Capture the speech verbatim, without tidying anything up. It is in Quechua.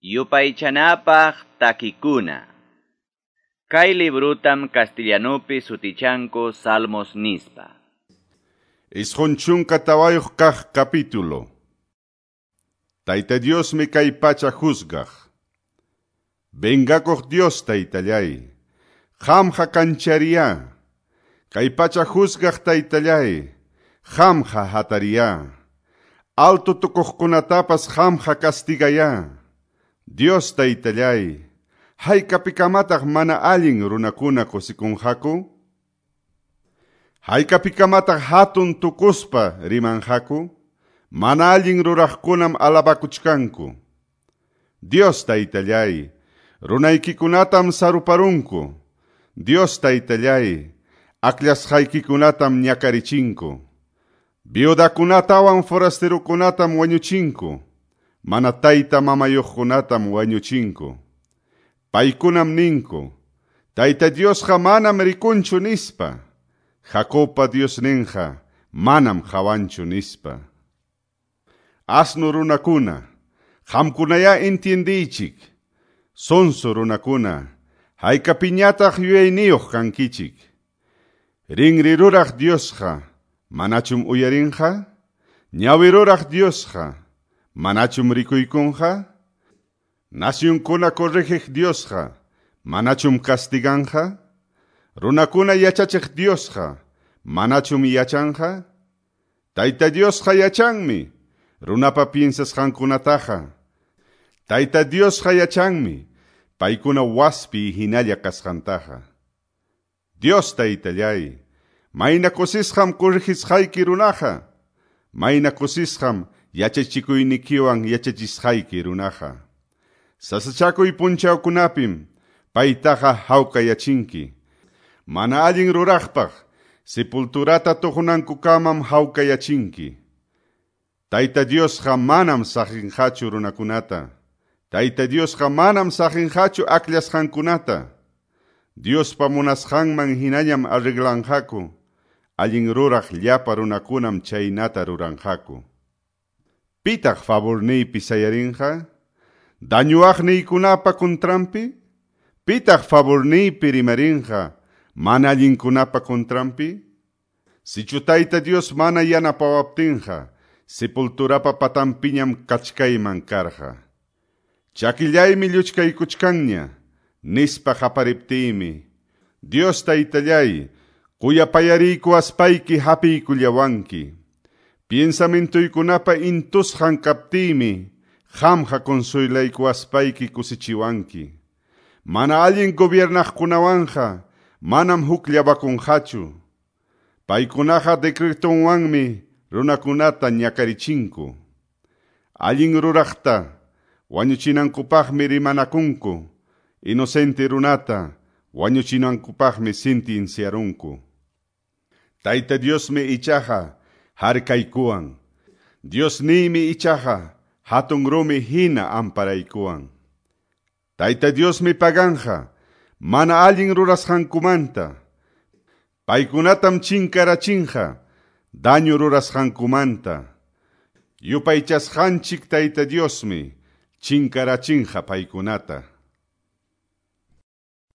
Yupaychanapaq takikuna. Kay librutam castellanupi sutichanku Salmos nispa. Isqun chunka tawayuq kaq capítulo. Tayta Diosmi kay pacha juzgaq. Vengakuq Dios taytallay, qamqa kanchariya. Kay pacha juzgaq taytallay, qamqa hatariya. Alto tukuqkunatapas qamqa castigaya. Dios taytallay, haykapikamataq mana allin runakuna kusikunqaku? Haykapikamataq hatun tukuspa rimanqaku? Mana allin ruraqkunam alabakuchkanku. Dios taytallay, runaykikunatam saruparunku. Dios taytallay, akllashqaykikunatam ñakarichinku. Viudakunatawan forasterukunatam wañuchinku. Mana tayta mamayuqkunatam wañuchinku. Paykunam ninku, Tayta Diosqa manam rikunchu nispa. Jacobpa Diosninqa manam qawanchu nispa. Asnu runakuna, qamkunaya entiendiychik. Sonso runakuna, haykapiñataq yuyayniyuq kankichik. Rinri ruraq Diosqa, manachum uyarinqa? Ñawi ruraq Diosqa, manachum rikuykunqa? Nacionkuna corrigiq Diosqa, manachum castiganqa? Runakuna yachachiq Diosqa, manachum yachanqa? Tayta Diosqa yachanmi, runapa piensasqankunataqa. Tayta Diosqa yachanmi, paykuna waspi hinalla kasqantaqa. Dios taytallay, mayna kusisqam corrigisqayki runaqa, mayna kusisqam yachachikuynikiwan yachachisqayki runaqa. Sasachakuy punchawkunapim paytaqa hawkayachinki. Mana allin ruraqpaq sepulturata tuqunankukamam hawkayachinki. Tayta Diosqa manam saqinqachu runakunata. Tayta Diosqa manam saqinqachu akllashqankunata. Diospa munasqanman hinañam arreglanqaku. Allin ruraq llapa runakunam chaynata ruranqaku. Pitaq favorniypi sayarinqa? Dañuwaqniykunapa contranpi? Pitaq favorniypi rimarinqa mana allinkunapa contranpi? Sichu Tayta Dios mana yanapawaptinqa, sepulturapa patanpiñam kachkayman karqa. Chakillaymi lluchkaykuchkanña, nispa qapariptiymi. Dios taytallay, kuyapayariykuwaspayki hapiykullawanki. Piensamintuykunapa intusqan kaptiymi, qamqa consuelaykuwaspayki kusichiwanki. Mana allin gobiernaqkunawanqa manam hukllawakunqachu. Paykunaqa decretonwanmi runakunata ñakarichinku. Allin ruraqta wañuchinankupaqmi rimanakunku. Inocente runata wañuchinankupaqmi sentenciarunku. Tayta Diosmi ichaqa harkaykuwan. Diosniymi ichaqa hatun rumi hina amparaykuwan. Tayta Diosmi paganqa mana allin rurasqankumanta. Paykunatam chinkarachinqa daño rurasqankumanta. Yupaychasqanchik Tayta Diosmi chinkarachinqa paykunata.